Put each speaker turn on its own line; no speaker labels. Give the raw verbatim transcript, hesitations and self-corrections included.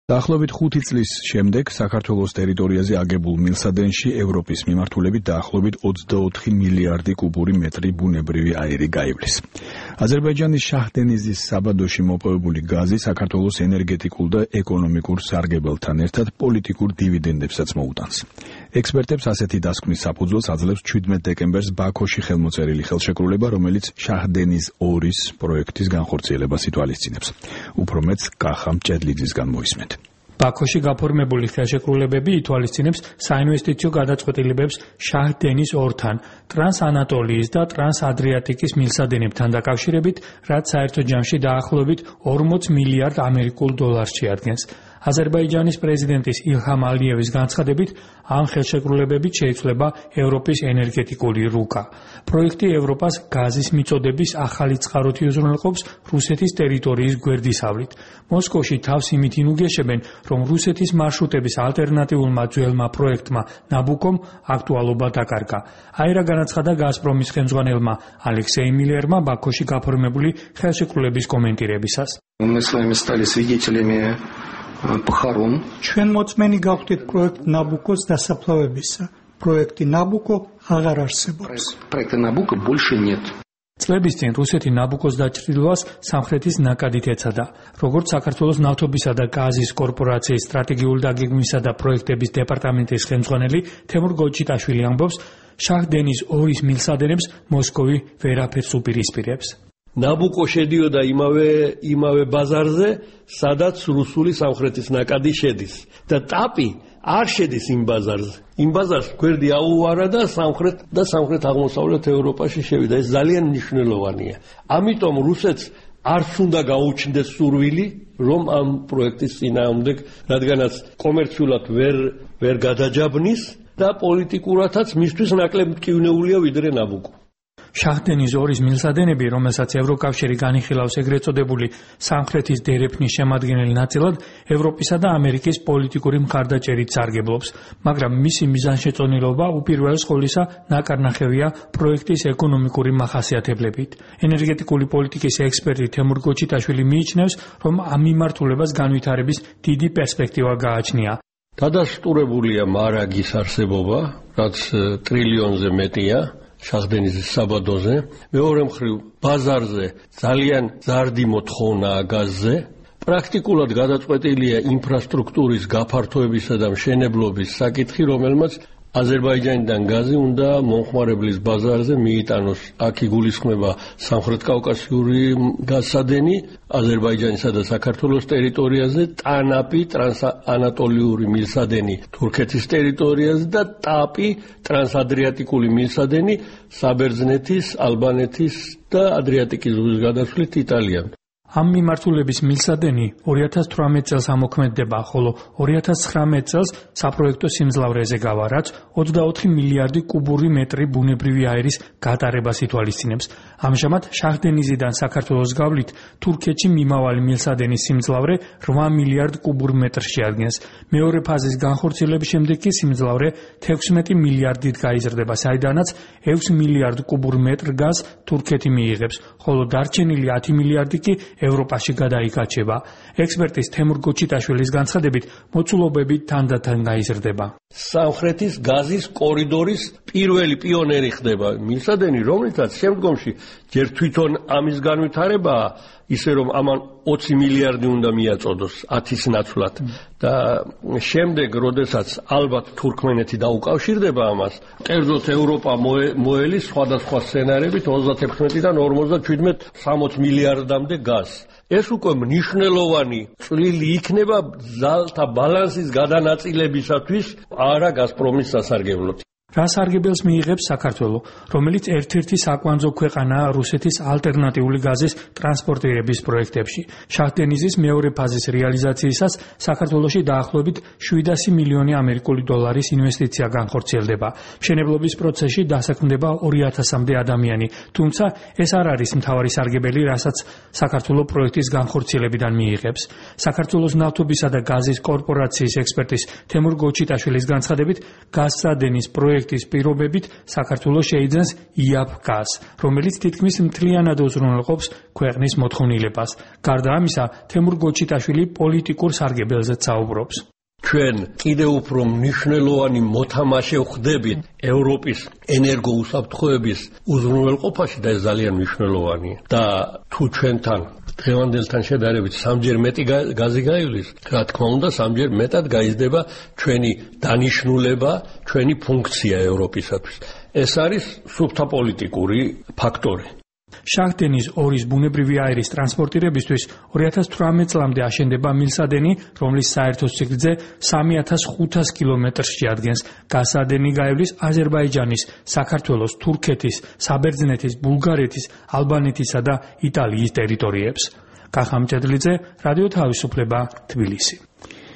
დაახლოებით ხუთი წლის შემდეგ საქართველოს ტერიტორიაზე აგებულ მილსადენში ევროპის მიმართულებით დაახლოებით ოცდაოთხი მილიარდი კუბური მეტრი ბუნებრივი აირი გაივლის. აზერბაიჯანის შაჰდენიზის საბადოში მოპოვებული გაზი საქართველოს ენერგეტიკულ და ეკონომიკურ სარგებელთან ერთად პოლიტიკურ დივიდენდებსაც მოუტანს. ექსპერტებს ასეთი დასკვნის საფუძველს აძლევს ჩვიდმეტ დეკემბერს ბაქოში ხელმოწერილი ხელშეკრულება, რომელიც შაჰდენიზ ორის პროექტის განხორციელებას ითვალისწინებს. უფრო მეტს კახა მჭედლიძისგან მოისმენთ.
ბაქოში გაფორმებული ხელშეკრულებები ითვალისწინებს საინვესტიციო გადაწყვეტილებებს შაჰდენის ორთან, ტრანსანატოლიის და ტრანსადრიატიკის მილსადენებთან დაკავშირებით, რაც საერთო ჯამში დაახლოებით ორმოც მილიარდ ამერიკულ დოლარს შეადგენს. აზერბაიჯანის პრეზიდენტის ილჰამ ალიევის განცხადებით, ამ ხელშეკრულებებით შეიცვლება ევროპის ენერგეტიკული რუკა. პროექტი ევროპას გაზის მიწოდების ახალი წყაროთი უზრუნველყოფს რუსეთის ტერიტორიის გვერდისავლით. მოსკოვში თავს იმით ინუგეშებენ, რომ რუსეთის მარშრუტების ალტერნატიულმა ძველმა პროექტმა ნაბუკომ აქტუალობა დაკარგა. აირა განაცხადა გაზპრომის ხელმძღვანელმა ალექსეი მილერმა ბაქოში გაფორმებული ხელშეკრულების კომენტირებისას.
ჩვენ მოწმენი გავხდით პროექტ ნაბუკოს დასაფლავებისა. პროექტი ნაბუკო აღარ არსებობს.
პროექტი ნაბუკო больше нет.
წლების წინ რუსეთი ნაბუკოს დაჭრილვას სამხრეთის ნაკადით ეცადა. როგორც საქართველოს ნავთობისა და გაზის კორპორაციის სტრატეგიული დაგეგმვისა და პროექტების დეპარტამენტის ხელმძღვანელი თემურ გოჩიტაშვილი ამბობს, შაჰდენის ორის მილსადენებს მოსკოვი ვერაფერს უპირისპირებს.
ნაბუკო შედიოდა იმავე იმავე ბაზარზე, სადაც რუსული სამხრეთის ნაკადი შედის და ტაპი არ შედის იმ ბაზარზე. იმ ბაზარს გვერდი აუვარა და სამხრეთ და სამხრეთ აღმოსავლეთ ევროპაში შევიდა. ეს ძალიან მნიშვნელოვანია. ამიტომ რუსეთს არც უნდა გაუჩნდეს სურვილი, რომ ამ პროექტის წინააღმდეგ, რადგანაც კომერციულად ვერ ვერ გადაჯაბნის და პოლიტიკურათაც მისთვის ნაკლებ მტკივნეულია ვიდრე ნაბუკო.
შაჰდენის ორის მილსადენები, რომელსაც ევროკავშირი განიხილავს ეგრეთ წოდებული სამხრეთის დერეფნის შემადგენელი ნაწილად, ევროპისა და ამერიკის პოლიტიკური მხარდაჭერით სარგებლობს, მაგრამ მისი მიზანშეწონილობა უპირველეს ყოვლისა ნაკარნახევია პროექტის ეკონომიკური მახასიათებლებით. ენერგეტიკული პოლიტიკის ექსპერტი თემურ გოჩიტაშვილი მიიჩნევს, რომ ამ მიმართულებას განვითარების დიდი პერსპექტივა გააჩნია.
დადასტურებულია მარაგის არსებობა, რაც ტრილიონზე მეტია. შაჰდენიზის საბადოზე, მეორე მხრივ ბაზარზე ძალიან ზარდი მოთხოვნაა გაზზე. პრაქტიკულად გადაწყვეტილია ინფრასტრუქტურის გაფართოებისა და მშენებლობის საკითხი, რომელმაც აზერბაიჯანიდან გაზი უნდა მომხმარებლის ბაზარზე მიიტანოს. აქ იგულისხმება სამხრეთ კავკასიური გაზსადენი, აზერბაიჯანისა და საქართველოს ტერიტორიაზე, ტანაპი ტრანსანატოლიური მილსადენი თურქეთის ტერიტორიაზე და ტაპი ტრანსადრიატიკული მილსადენი საბერძნეთის, ალბანეთის და ადრიატიკის ზღვის გადასვლით იტალიამ.
ამ მიმართულების მილსადენი ორი ათას თვრამეტ წელს ამოქმედდება, ხოლო ორი ათას ცხრამეტ წელს საპროექტო სიმძლავრეზე გავა, რაც ოცდაოთხი მილიარდი კუბური მეტრი ბუნებრივი აირის გატარებას ითვალისწინებს. ამჟამად შაჰდენიზიდან საქართველოს გავლით თურქეთში მიმავალი მილსადენის სიმძლავრე რვა მილიარდ კუბურ მეტრს შეადგენს. მეორე ფაზის განხორციელების შემდეგ კი სიმძლავრე თექვსმეტი მილიარდით გაიზრდება, საიდანაც ექვს მილიარდ კუბურ მეტრ გაზს თურქეთი მიიღებს, ხოლო დარჩენილი ათი მილიარდი კი ევროპაში გადაიკაჩება. ექსპერტის თემურ გოჩიტაშვილის განცხადებით, მოცულობები თანდათან გაიზრდება.
სამხრეთის გაზის კორიდორის პირველი პიონერი ხდება მილსადენი, რომლითაც შემდგომში ჯერ თვითონ ამის განვითარებაა, ისე რომ ამან ოცი მილიარდი უნდა მიაწოდოს ათის ნაცვლად და შემდეგ, როდესაც ალბათ თურქმენეთი დაუკავშირდება ამას, კერძოდ ევროპა მოელის სხვადასხვა სცენარებით ოცდათექვსმეტიდან ორმოცდაჩვიდმეტ სამოც მილიარდამდე გაზს. ეს უკვე მნიშვნელოვანი წვლილი იქნება ძალთა ბალანსის გადანაწილებისათვის არა გაზპრომის სასარგებლოდ.
რა სარგებელს მიიღებს საქართველო, რომელიც ერთ-ერთი საკვანძო ქვეყანაა რუსეთის ალტერნატიული გაზის ტრანსპორტირების პროექტებში. შაჰდენიზის მეორე ფაზის რეალიზაციისას საქართველოში დაახლოებით შვიდასი მილიონი ამერიკული დოლარის ინვესტიცია განხორციელდება. მშენებლობის პროცესში დასაქმდება ორი ათასამდე ადამიანი, თუმცა ეს არ არის მთავარი სარგებელი, რასაც საქართველო პროექტის განხორციელებიდან მიიღებს. საქართველოს ნავთობისა და გაზის კორპორაციის ექსპერტის თემურ გოჩიტაშვილის განცხადებით, გაზსადენის პროექტი პროექტის პირობებით საქართველოს შეიძენს იაფ-გაზ, რომელიც თითქმის მთლიანად უზრუნველყოფს ქვეყნის მოთხოვნილებას. გარდა ამისა, თემურ გოჩიტაშვილი პოლიტიკურ სარგებელზეც საუბრობს.
ჩვენ კიდევ უფრო მნიშვნელოვანი მოთამაშე ვხდებით ევროპის ენერგოუსაფრთხოების უზრუნველყოფაში და ეს ძალიან მნიშვნელოვანია. და თუ ჩვენთან დღევანდელთან შედარებით სამჯერ მეტი გაზი გაივლის, რა თქმა უნდა, სამჯერ მეტად გაიზრდება ჩვენი დანიშნულება, ჩვენი ფუნქცია ევროპისათვის. ეს არის სუფთა პოლიტიკური ფაქტორი.
შაჰ-დენის ორის ბუნებრივი აირის ტრანსპორტირებისთვის ორი ათას თვრამეტ წლამდე აშენდება მილსადენი, რომლის საერთო სიგრძე სამი ათას ხუთას კილომეტრს შეადგენს. გაზადენი გაივლის აზერბაიჯანის, საქართველოს, თურქეთის, საბერძნეთის, ბულგარეთის, ალბანეთისა და იტალიის ტერიტორიებს. კახა მჭედლიძე, რადიო თავისუფლება, თბილისი.